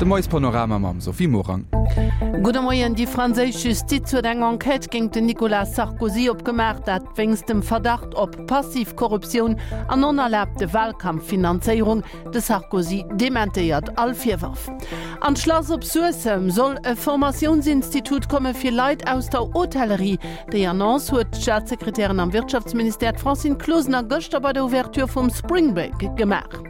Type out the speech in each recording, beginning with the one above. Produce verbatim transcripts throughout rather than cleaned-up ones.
De Moiespanorama mam Sophie Morang. Gudde Moien, Déi franséisch Justiz huet eng Enquête géint den Nicolas Sarkozy opgemaach, dat wéinst dem Verdacht op passiv Korruptioun an onerlaabte Walkampffinanzéierung. De Sarkozy dementéiert all Virwërf. An d'Schlass op Suessem soll e Formatiounsinstitut komme fir Leit aus der Hotellerie. Déi Annonce huet d'Staatssekretärin am Wirtschaftsministère, d'Francine Closener, gëschter bei der Ouverture vum Spring Break gemaach.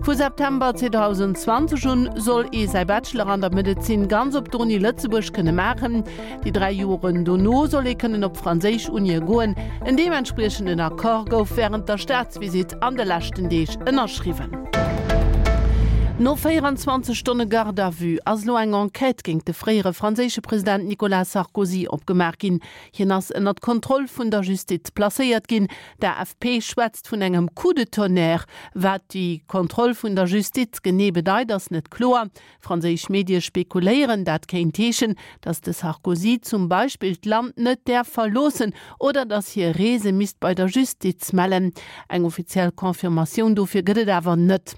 Vu September zweedausendzwanzeg un soll ee säi Bachelor an der Medezin ganz op der Uni Lëtzebuerg kënne maachen. Déi dräi Joren dono soll ee kënnen op franséisch Unie goen. En deementspriechenden Accord gouf wärend der Staatsvisitt an de leschten Deeg ënnerschriwwen. No véieranzwanzeg Stonne Garde à vue ass elo eng Enquête géint de fréiere franséische President Nicolas Sarkozy opgemaach ginn. Hien ass ënnert d'Kontroll vun der Justiz placéiert ginn. D'A F P schwätzt vun engem Coup de tonnerre. Wat déi Kontroll vun der Justiz genee bedeit, ass net kloer. Franséisch Medie spekuléieren, dat kéint heeschen, datt de Sarkozy zum Beispill d'Land net däerf verloossen oder datt hie Reese misst bei der Justiz mellen. Eng offiziell Confirmatioun dofir gëtt et awer net.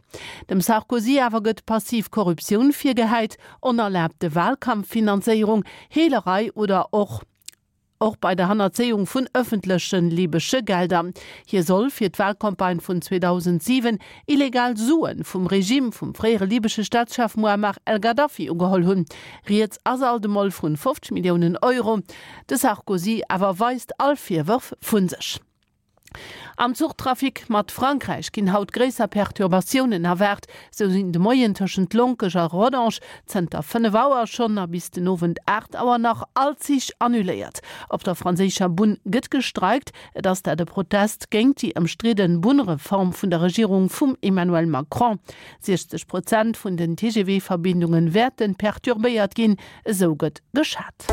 Dem Sarkozy awer gëtt passiv Korruptioun virgehäit, onerlaabte Walkampffinanzéierung, Heelerei oder och och bei der Hannerzéiung vun ëffentleche libesche Gelder. Hie soll fir d'Walcampagne vun zweedausentsiwen illegal Sue vum Regime vum fréiere libesche Staatschef Muammar el-Gaddafi ugeholl hunn. Rieds ass alt emol vun fofzeg Milliounen Euro. De Sarkozy awer weist all Virwërf vu sech. Am Zuchtrafic mat Frankräich ginn haut gréisser Perturbatiounen erwaart. Sou sinn de Moien tëschent Lonkech a Rodange zënter fënnef Auer schonn a bis den Owend aacht Auer nach all Zich annuléiert. Op der franséischer Bunn gëtt gestreikt. Et ass dat e Protest géint déi ëmstridden Bunnreform vun der Regierung vum Emmanuel Macron. siechzeg Prozent vun den T G V-Verbindunge wäerte perturbéiert ginn, esou gëtt geschat.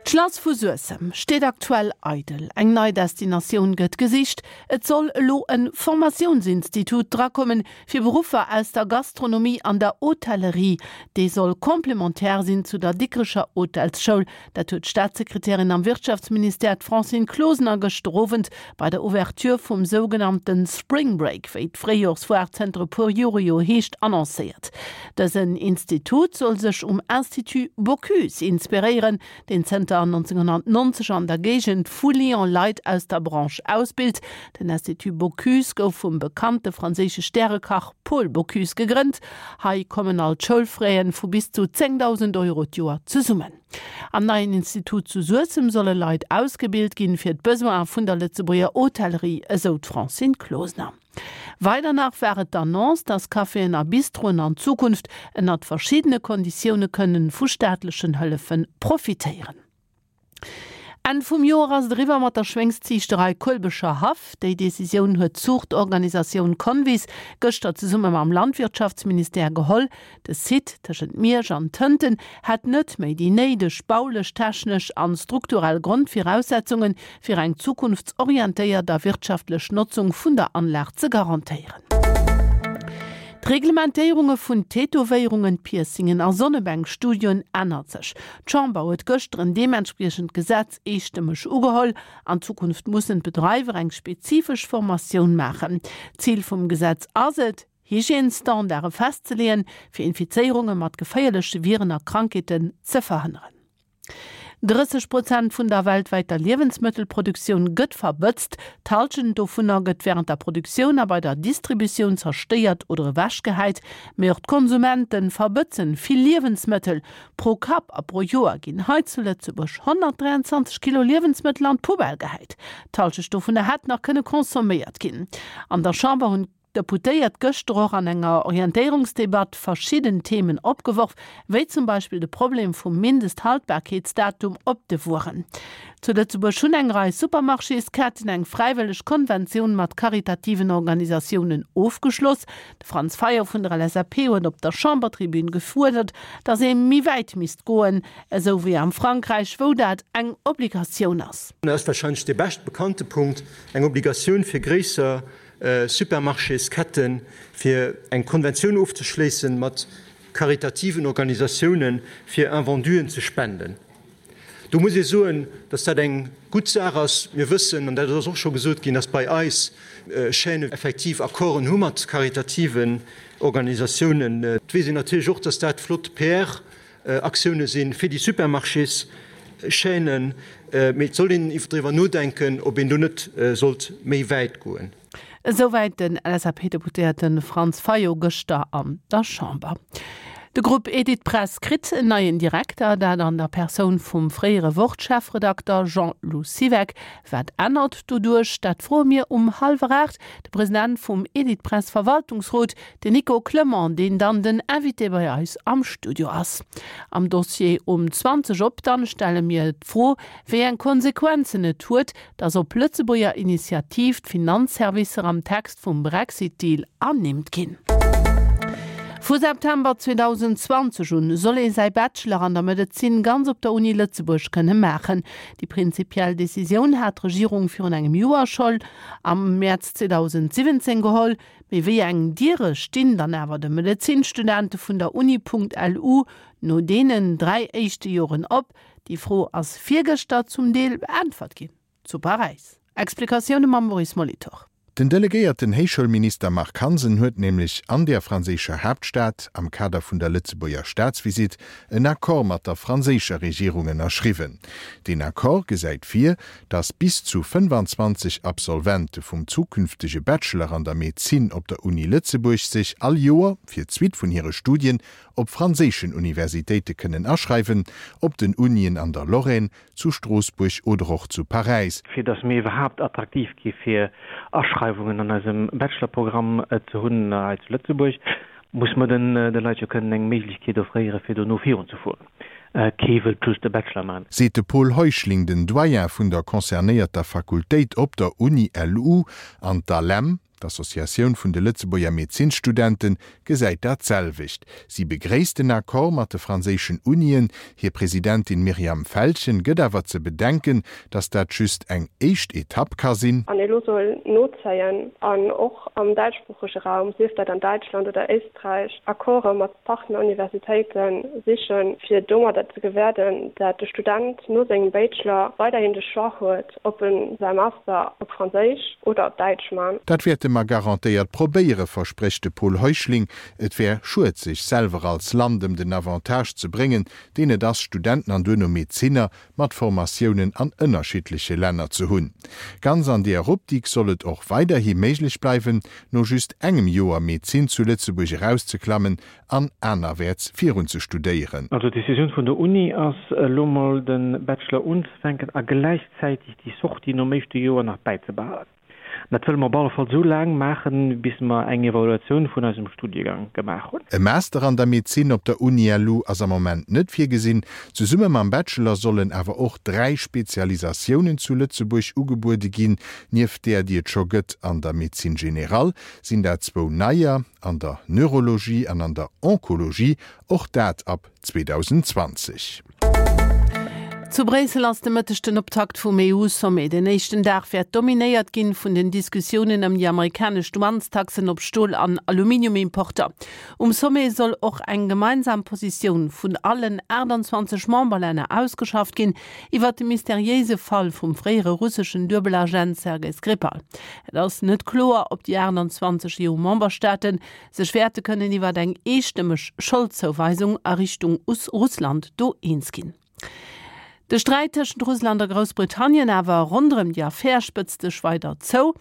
D'Schlass vu Suessem steet aktuell eidel. Eng nei Destinatioun gëtt gesicht. Et soll elo e Formatiounsinstitut drakommen, fir Beruffer aus der Gastronomie an der Hotellerie. Dee soll complementaire sinn zu der Dikrecher Hotelsschoul. Dat huet d'Staatssekretärin am Wirtschaftsministère, d'Francine Closener, gëschter Owend bei der Ouverture vum sougenannte Spring Break, wéi d'Fréijorsfoire zënter e puer Jore jo heescht, annoncéiert. Dësen Institut soll sech um Institut Bocuse inspiréieren, deen zënter nonzénghonnertnonzeg an der Géigend vu Lyon Leit aus der Branche ausbilt. Den Institut Bocuse gouf vum bekannte franséische Stärekach Paul Bocuse gegrënnt. Hei kommen all d'Schoulfraisen vu bis zu zéngdausend Euro d'Joer zesummen. Am neien Institut zu Suessem solle Leit ausgebilt ginn, fir d'Besoine vun der Lëtzebuerger Hotellerie, esou d'Francine Closener. Weider nach war et d'Annonce, dass Caféen a Bistroen an Zukunft ënnert verschiddene Konditioune kënnen vu staatlechen Hëllefe profitéieren. Enn vum Joer ass et eriwwer mat der Schwéngsziichterei Kuelbecher Haff. Déi Decisioun huet d'Zuuchtorganisatioun Convis gëschter zesumme mam Landwirtschaftsministère geholl. De Site tëschent Miersch an Tënten hätt net méi déi néideg baulech, technesch an strukturell Grondviraussetzungen, fir eng zukunftsorientéiert a wirtschaftlech Notzung vun der Anlag ze garantéieren. D'Reglementéierunge vun Tätowéierungen, Piercingen a Sonnebänkstudioen ännert sech. D'Chamber huet gëschter en deementspriechend Gesetz eestëmmeg ugeholl. An Zukunft mussen d'Bedreiwer eng spezifesch Formatioun maachen. Zil vum Gesetz ass et, Hygiènesstandarde festzeleeën, fir Infizéierunge mat geféierleche Viren a Krankheeten ze verhënneren. Drësseg Prozent vun der weltwäiter Liewensmëttelproduktioun gëtt verbëtzt. D'Hallschent dovunner gëtt wärend der Produktioun a bei der Distributioun zerstéiert oder ewechgehäit. Mee och d'Konsumente verbëtzen vill Liewensmëttel. Pro Kapp a pro Joer ginn hei zu Lëtzebuerg honnertdräianzwanzeg Kilo Liewensmëttel an d'Poubelle gehäit. D'Hallschecht dovunner hätt nach kënne consomméiert ginn. An der Chamber hunn d'Deputéiert gëschter och an enger Orientéierungsdebatt verschidden Themen opgeworf, wéi zum Beispill de Problem vum Mindesthaltbarkeetsdatum op de Wueren. Zu Lëtzebuerg hunn eng Rei Supermarchésketten eng fräiwëlleg Konventioun mat karitativen Organisatiounen ofgeschloss. De Franz Fayot vun der L S A P huet op der Chambertribün gefuerdert, datt ee méi wäit misst goen, esou wéi am Frankräich, wou dat eng Obligatioun ass. Dat ass warscheinlech dee bescht bekannte Punkt, eng Obligatioun fir gréisser Supermarchésketten, fir eng Konventioun ofzeschléissen mat karitativen Organisatiounen, fir Invenduen ze spenden. Do muss ee soen, dass dat eng gutt Saach ass. Mir wëssen, an dat ass och scho gesot ginn, dass bei eis Chaînen effektiv Accorden hu mat karitativen Organisatiounen. Et weess een natierlech och, dass dat flott P R-Aktioune si fir déi Supermarchés-Chaînen, mee et soll een driwwer nodenken, ob een do net sollt méi wäit goen. Esouwäit den L S A P-Deputéierte Franz Fayot gëschter an der Chamber. De Grupp Editpress kritt en neien Direkter, dat an der Persoun vum fréiere Wort-Chefredakter Jean-Lou Siweck. Wat ännert doduerch? Dat froe mir um hallwer aacht de President vum Editpress-Verwaltungsrot, den Nico Clement, deen dann den Invité bei eis am Studio ass. Am Dossier um zwanzeg op dann stelle mir d'Fro, wéi eng Konsequenzen et huet, datt op Lëtzebuerger Initiativ d'Finanzservicer am Text vum Brexit-Deal ernimmt ginn. Vu September zweedausendzwanzeg un soll ee säi Bachelor an der Medezin ganz op der Uni Lëtzebuerg kënne maachen. Déi prinzipiell Decisioun hat d'Regierung virun engem Joer schonn am Mäerz zweedausendsiwwenzéng geholl. Mee wéi eng Diere stinn dann awer de Medezinstudente vun der Uni.lu no deenen dräi éischte Joren op? Déi Fro ass virgëschter zum Deel beäntwert ginn zu Paräis. Explikatioune mam Maurice Molitor. Den delegéierten Héichschoulminister Marc Hansen huet nämlech an der franséischer Haaptstad am Kader vun der Lëtzebuerger Staatsvisitt en Accord mat der franséischer Regierung ënnerschriwwen. Den Accord gesäit vir, datt bis zu fënnefanzwanzeg Absolvente vum zukünftege Bachelor an der Medezin op der Uni Lëtzebuerg sech all Joer fir d'Suite vun hire Studien op franséischen Universitéite kënnen aschreiwen, op den Unien an der Lorraine, zu Stroossbuerg oder och zu Paräis. Fir datt mir iwwerhaapt attraktiv gi fir Aschreiwungen an eisem Bachelorprogramm ze hunn hei zu Lëtzebuerg, muss mer den de Leit jo kënnen eng Méiglechkeet offréiere fir dono virunzefueren. Kee wëllt just de Bachelor maachen. Seet de Paul Heuschling, den Doyen vun der concernéierter Fakultéit op der Uni L U. An d'ALEM, d'Associatioun vun de Lëtzebuerger Medezinsstudenten, gesäit dat selwecht. Si begréisst den Accord mat de franséischen Unien. Hir Presidentin Myriam Feltgen gëtt awer ze bedenken, datt dat just eng éischt Etapp ka sinn. An elo soll nozéien an och am däitschsproochege Raum, sief dat an Däitschland oder Éisträich, Accorde mat Partneruniversitéite sichen, fir domadder ze gewäerden, dat de Student no sengem Bachelor weiderhin de Choix huet, ob en säi Master op Franséisch oder op Däitsch man. Dat wäerte mer garantéiert probéieren, versprécht de Paul Heuschling. Et wär schued, sech selwer als Land ëm den Avantage ze bréngen, deen et ass, Studenten an duerno Medezinner mat Formatiounen an ënnerschiddleche Länner ze hunn. Ganz an där Optik soll et och weiderhi méiglech bleiwen, no just engem Joer Medezin zu Lëtzebuerg erauszeklammen an anerwäerts virun ze studéieren. Also d'Decisioun vun der Uni ass elo mol de Bachelor unzefänken a gläichzäiteg déi Sortie nom éischte Joer nach bäizebehalen. Dat wëlle mer op alle Fall esou laang maachen, bis mer eng Evaluatioun vun eisem Studiegang gemaach hunn. E Master an der Medezin op der Uni L U ass am Moment net virgesinn. Zesumme mam Bachelor sollen awer och dräi Spezialisatiounen zu Lëtzebuerg ugebuede ginn. Nieft där, déi et scho gëtt an der Médecine générale, sinn dat zwou neier, an der Neurologie an an der Onkologie, och dat ab zweedausendzwanzeg. Zu Bréissel ass de Mëtteg den Optakt vum E U-Sommet. Den éischten Dag wäert dominéiert ginn vun den Diskussiounen ëm déi amerikanesch Douanestaxen op Stol an Aluminiumimporter. Um Sommet soll och eng gemeinsam Positioun vun allen aachtanzwanzeg Memberlänner ausgeschafft ginn iwwer de mysteriéise Fall vum fréiere russeschen Duebelagent Sergei Skripal. Et ass net kloer, ob déi aachtanzwanzeg E U-Memberstaaten sech wäerte kënnen iwwer eng eestëmmeg Scholdzouweisung a Richtung Russland do eens ginn. De Sträit tëschent Russland a Groussbritannien awer ronderëm déi Affär spëtzt sech weider zou.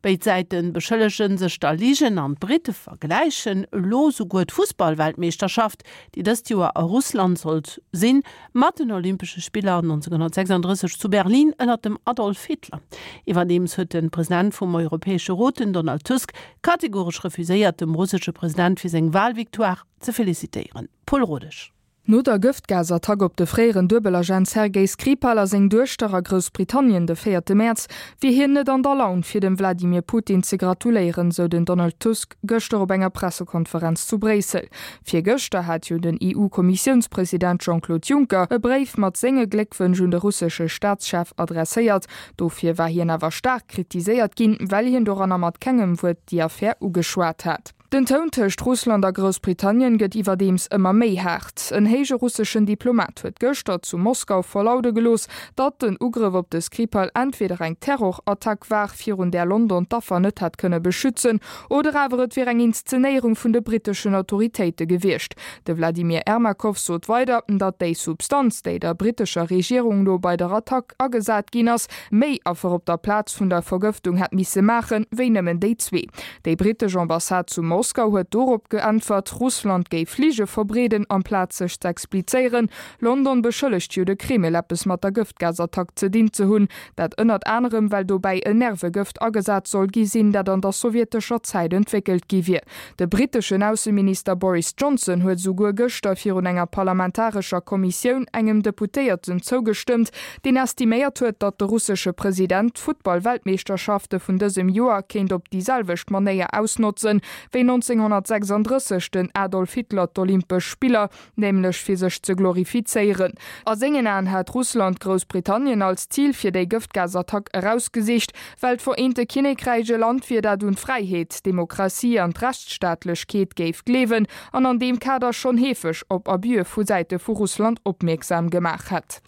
Béid Säite beschëllege sech der Ligen an d'Britte vergläichen elo souguer d'Fussballweltmeeschterschaft, déi dëst Joer a Russland sollt sinn, mat den Olympesche Spiller nonzénghonnertsechsanddrësseg zu Berlin ënner dem Adolf Hitler. Iwwerdeems huet de President vum Europäesche Rot, den Donald Tusk, kategoresch refuséiert, dem russesche President fir seng Walvictoire ze felicitéieren. Paul Rodesch. No der Gëftgasattack op de fréieren Duebelagent Sergei Skripal a seng Duechter a Groussbritannien de véierte Mäerz wier hien net an der Laun fir dem Wladimir Putin ze gratuléieren, sou den Donald Tusk gëschter op enger Pressekonferenz zu Bréissel. Virgëschter hat jo den E U-Kommissiounspresident Jean-Claude Juncker e Bréif mat senge Gléckwënsch un de russesche Staatschef adresséiert. Dofir war hien awer staark kritiséiert ginn, well hien doranner mat kengem Wuert déi Affär ugeschwat hat. Den Toun tëscht Russland a Groussbritannien gëtt iwwerdeems ëmmer méi haart. En héije russeschen Diplomat huet gëschter zu Moskau verlaude gelooss, datt den Ugrëff op de Skripal entweder eng Terrorattack war, virun där London d'Affer net hätt kënne beschützen, oder awer et wier eng Inszenéierung vun de britteschen Autoritéite gewiescht. De Wladimir Ermakow sot weider, datt déi Substanz, déi der brittescher Regierung no bei der Attack agesat ginn ass, méi Affer op der Plaz vun der Vergëftung hätt misse maachen, wéi nëmmen déi zwee. Déi brittesch Ambassade zu Moskau huet dorop geäntwert, Russland géif Lige verbreeden, amplaz sech z'explizéieren. London beschëllegt jo de Kreml, eppes mat der Gëftgasattack ze dinn ze hunn, dat ënnert anerem well dobäi en Nervegëft agesat soll gi sinn, dat an der sowjetescher Zäit entwéckelt gi wier. De britteschen Ausseminister Boris Johnson huet souguer gëschter virun enger parlamentarescher Kommissioun engem Deputéierten zougestëmmt, deen estiméiert huet, datt de russesche President d'Futtball-Weltmeeschterschafte vun dësem Joer kéint op déi selwecht Manéier ausnotzen, wéi nonzénghonnertsechsanddrësseg den Adolf Hitler d'Olympesch Spiller, nämlech fir sech ze glorifizéieren. A sengen Aen hätt Russland Groussbritannien als Zil fir déi Gëftgasattack erausgesicht, well d'Vereente Kinnekräich e Land wier, dat un d'Fräiheet, d'Demokratie an d'Rechtsstaatlechkeet géif gleewen an an deem Kader schonn heefeg op Abuse vu Säite vu Russland opmierksam gemaach hätt.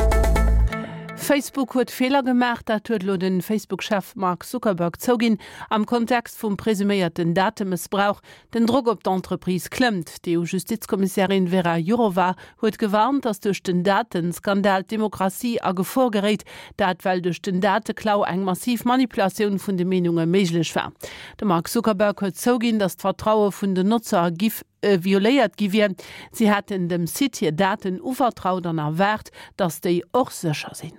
Facebook huet Feeler gemaach, dat huet elo de Facebook-Chef Mark Zuckerberg zouginn am Kontext vum presuméierten Datemëssbrauch. Den Drock op d'Entreprise klëmmt. D'EU-Justizkommissärin Vera Jourova huet gewarnt, datt duerch den Datenskandal d'Demokratie a Gefor geréit. Dat well duerch den Dateklau eng massiv Manipulatioun vun de Meenunge méiglech war. De Mark Zuckerberg huet zouginn, datt d'Vertraue vun den Notzer giff violéiert gi wier. Si hätten dem Site hir Daten uvertraut an erwaart, datt déi och sécher sinn.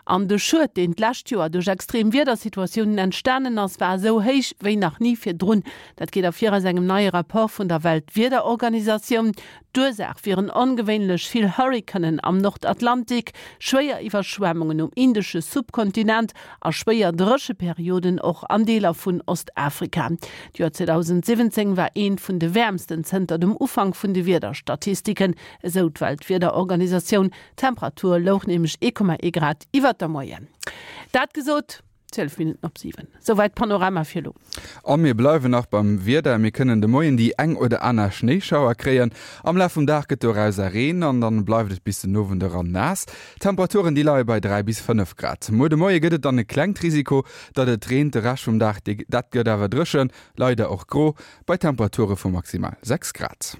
An de Schued, deen d'lescht Joer duerch extrem Wiedersituatiounen entstanen ass, war esou héich wéi nach ni virdrun. Dat geet ervir aus engem neie Rapport vun der Weltwiederorganisatioun. D'Ursaach wieren ongewéinlech vill Hurrikanen am Nordatlantik, schwéier Iwwerschwemmungen um indesche Subkontinent a schwéier Drécheperioden och an Deeler vun Ostafrika. D'Joer zweedausendsiwwenzéng war eent vun de wäermsten zënter dem Ufank vun de Wiederstatistiken, esou d'Weltwiederorganisatioun. D'Temperatur louch nämlech ee Komma ee Grad iwwert der Moyenne. Dat gesot, zwielef Minutten op siwen. Souwäit Panorama fir elo. A mir bleiwen nach beim Wieder, Mir kënnen de Moien déi eng oder aner Schnéischauer kréien. Am Laf vum Dag gëtt dorauser Reen an dann bleift et bis den Owend eran naass. D'Temperaturen déi leie bei dräi bis fënnef Grad. Muer de Moie gëtt et dann e klengt Risiko, datt et reent, de Rescht vum Dag, dat gëtt awer dréchen, leider och gro, bei Temperature vu maximal sechs Grad.